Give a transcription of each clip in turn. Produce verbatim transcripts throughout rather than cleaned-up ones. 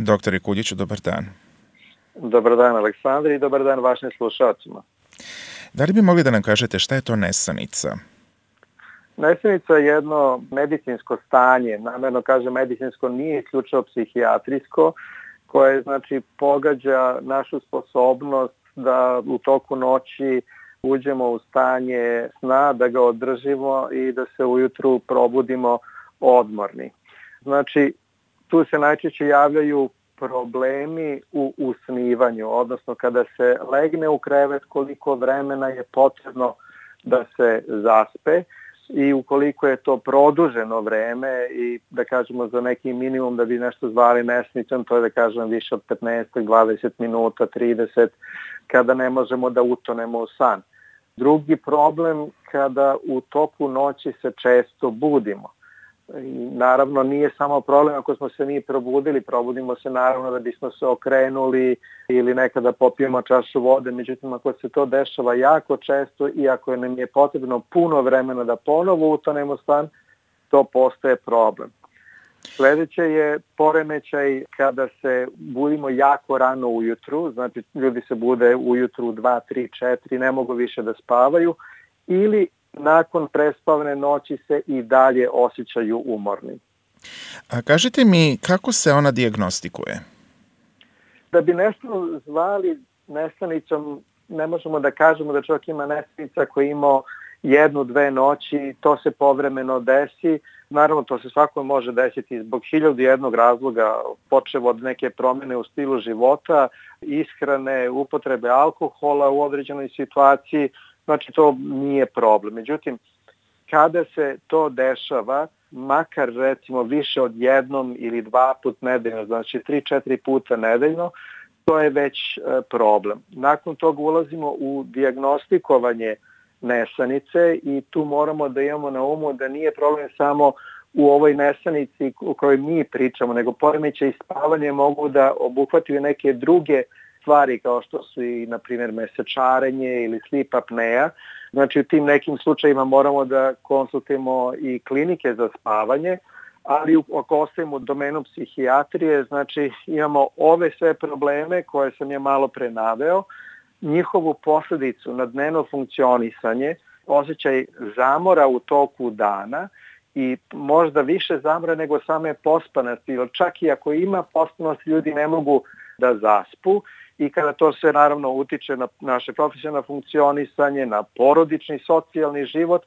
Doktore Kuljiću, dobar dan. Dobar dan, Aleksandar, i dobar dan vašim slušalcima. Da li bi mogli da nam kažete šta je to nesanica? Nesanica je jedno medicinsko stanje, namerno kažem medicinsko, nije isključivo psihijatrijsko, koje znači pogađa našu sposobnost da u toku noći uđemo u stanje sna, da ga održimo i da se ujutru probudimo odmorni. Znači, tu se najčešće javljaju problemi u usnivanju, odnosno kada se legne u krevet, koliko vremena je potrebno da se zaspe i ukoliko je to produženo vreme i da kažemo za neki minimum da bi nešto zvali nesanicom, to je da kažem više od petnaest do dvadeset minuta, trideset, kada ne možemo da utonemo u san. Drugi problem kada u toku noći se često budimo. I naravno nije samo problem ako smo se mi probudili, probudimo se naravno da bismo se okrenuli ili nekada popijemo čašu vode, međutim ako se to dešava jako često i ako nam je potrebno puno vremena da ponovo utonemo san, to postaje problem. Sledeće je poremećaj kada se budimo jako rano ujutru, znači ljudi se bude ujutru dva, tri, četiri, ne mogu više da spavaju, ili nakon prespavne noći se i dalje osjećaju umorni. A kažite mi, kako se ona dijagnostikuje? Da bi nešto zvali nesanicom, ne možemo da kažemo da čovjek ima nesanica koji ima jednu, dve noći, to se povremeno desi. Naravno, to se svako može desiti zbog hiljadu jednog razloga, počev od neke promjene u stilu života, ishrane, upotrebe alkohola u određenoj situaciji. Znači, to nije problem. Međutim, kada se to dešava, makar recimo više od jednom ili dva put nedeljno, znači tri, četiri puta nedeljno, to je već problem. Nakon toga ulazimo u dijagnostikovanje nesanice i tu moramo da imamo na umu da nije problem samo u ovoj nesanici o kojoj mi pričamo, nego poremećaj i spavanje mogu da obuhvataju neke druge stvari kao što su i, na primjer, mesečarenje ili sleep apnea. Znači, u tim nekim slučajima moramo da konsultujemo i klinike za spavanje, ali ako ostavimo u domenu psihijatrije, znači imamo ove sve probleme koje sam je malo pre naveo, njihovu posledicu na dnevno funkcionisanje, osjećaj zamora u toku dana i možda više zamora nego same pospanosti, jer čak i ako ima pospanost, ljudi ne mogu da zaspu i kada to sve naravno utiče na naše profesionalno funkcionisanje, na porodični, socijalni život,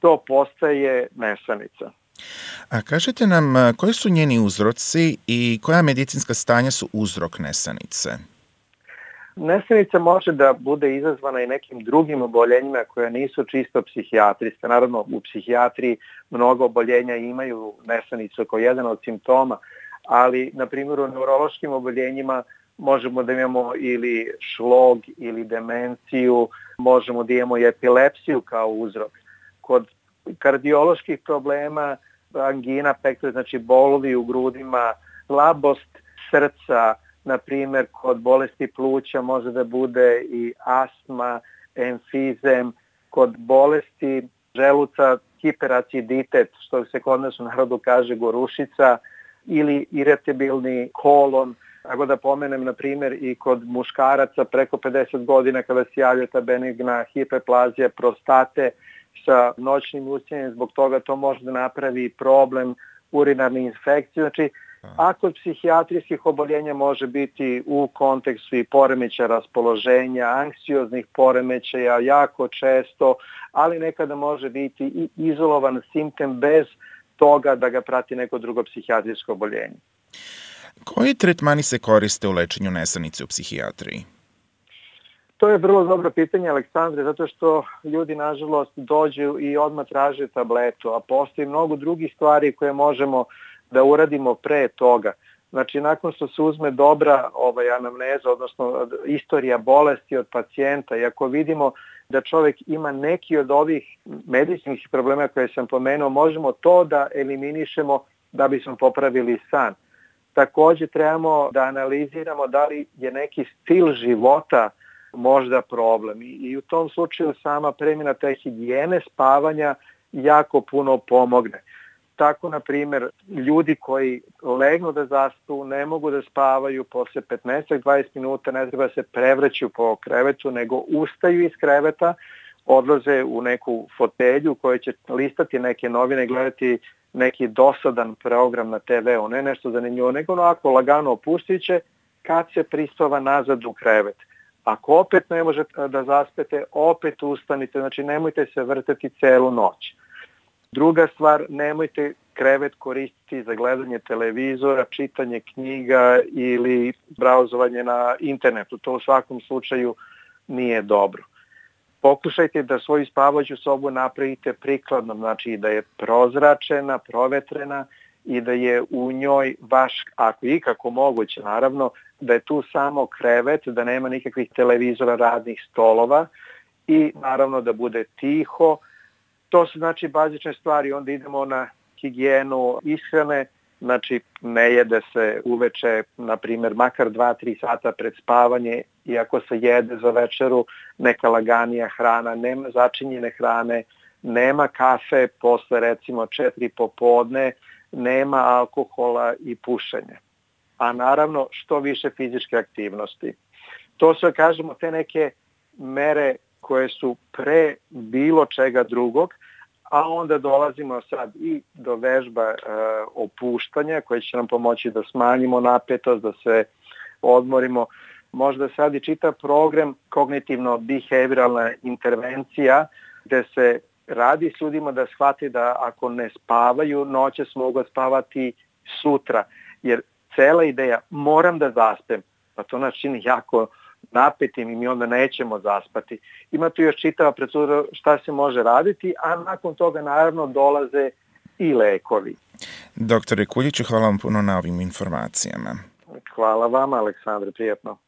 to postaje nesanica. A kažete nam, koji su njeni uzroci i koja medicinska stanja su uzrok nesanice? Nesanica može da bude izazvana i nekim drugim oboljenjima koja nisu čisto psihijatrijska. Naravno, u psihijatriji mnogo oboljenja imaju nesanicu kao jedan od simptoma, ali, na primjer, u neurološkim oboljenjima možemo da imamo ili šlog ili demenciju, možemo da imamo i epilepsiju kao uzrok. Kod kardioloških problema, angina pektoris, znači bolovi u grudima, slabost srca, na primjer kod bolesti pluća može da bude i astma, emfizem, kod bolesti želuca hiperaciditet, što se kod nas u narodu kaže gorušica, ili iritabilni kolon. Ako da pomenem, na primjer, i kod muškaraca preko pedeset godina kada se javlja ta benigna hiperplazija prostate sa noćnim usnjenjem, zbog toga to može da napravi problem urinarne infekcije. Znači, a kod psihijatrijskih oboljenja može biti u kontekstu i poremećaja raspoloženja, anksioznih poremećaja jako često, ali nekada može biti i izolovan simptom bez toga da ga prati neko drugo psihijatrijsko oboljenje. Koji tretmani se koriste u lečenju nesanice u psihijatriji? To je vrlo dobro pitanje, Aleksandre, zato što ljudi, nažalost, dođu i odmah traže tabletu, a postoji mnogo drugih stvari koje možemo da uradimo pre toga. Znači, nakon što se uzme dobra ovaj, anamneza, odnosno istorija bolesti od pacijenta, i ako vidimo da čovjek ima neki od ovih medicinskih problema koje sam pomenuo, možemo to da eliminišemo da bismo popravili san. Također trebamo da analiziramo da li je neki stil života možda problem. I, i u tom slučaju sama promjena te higijene spavanja jako puno pomogne. Tako, na primjer, ljudi koji legnu da zaspu, ne mogu da spavaju posle petnaest do dvadeset minuta, ne treba se prevraću po krevetu, nego ustaju iz kreveta, odlaze u neku fotelju koja će listati neke novine, gledati neki dosadan program na te ve u, ne nešto zanimljivo, nego onako lagano opustit će kad se prispava nazad u krevet. Ako opet ne možete da zaspete, opet ustanite, znači nemojte se vrteti celu noć. Druga stvar, nemojte krevet koristiti za gledanje televizora, čitanje knjiga ili brauzovanje na internetu. To u svakom slučaju nije dobro. Pokušajte da svoju spavajuću sobu napravite prikladnom, znači da je prozračena, provetrena i da je u njoj baš, ako je ikako moguće naravno, da je tu samo krevet, da nema nikakvih televizora, radnih stolova i naravno da bude tiho. To su znači bazične stvari, onda idemo na higijenu ishrane, znači ne jede se uveče, na primjer, makar dva do tri sata pred spavanje, iako se jede za večeru neka laganija hrana, nema začinjene hrane, nema kafe posle recimo četiri popodne, nema alkohola i pušenja. A naravno što više fizičke aktivnosti. To su, kažemo, te neke mere koje su pre bilo čega drugog, a onda dolazimo sad i do vežba e, opuštanja koje će nam pomoći da smanjimo napetost, da se odmorimo. Možda sad i čita program kognitivno-behavioralna intervencija gde se radi s ljudima da shvati da ako ne spavaju, noćas mogu spavati sutra. Jer cela ideja, moram da zaspem, pa to nas čini jako napetim i mi onda nećemo zaspati. Ima tu još čitava procedura šta se može raditi, a nakon toga naravno dolaze i lekovi. Doktore Kuljiću, hvala vam puno na ovim informacijama. Hvala vama, Aleksandre, prijatno.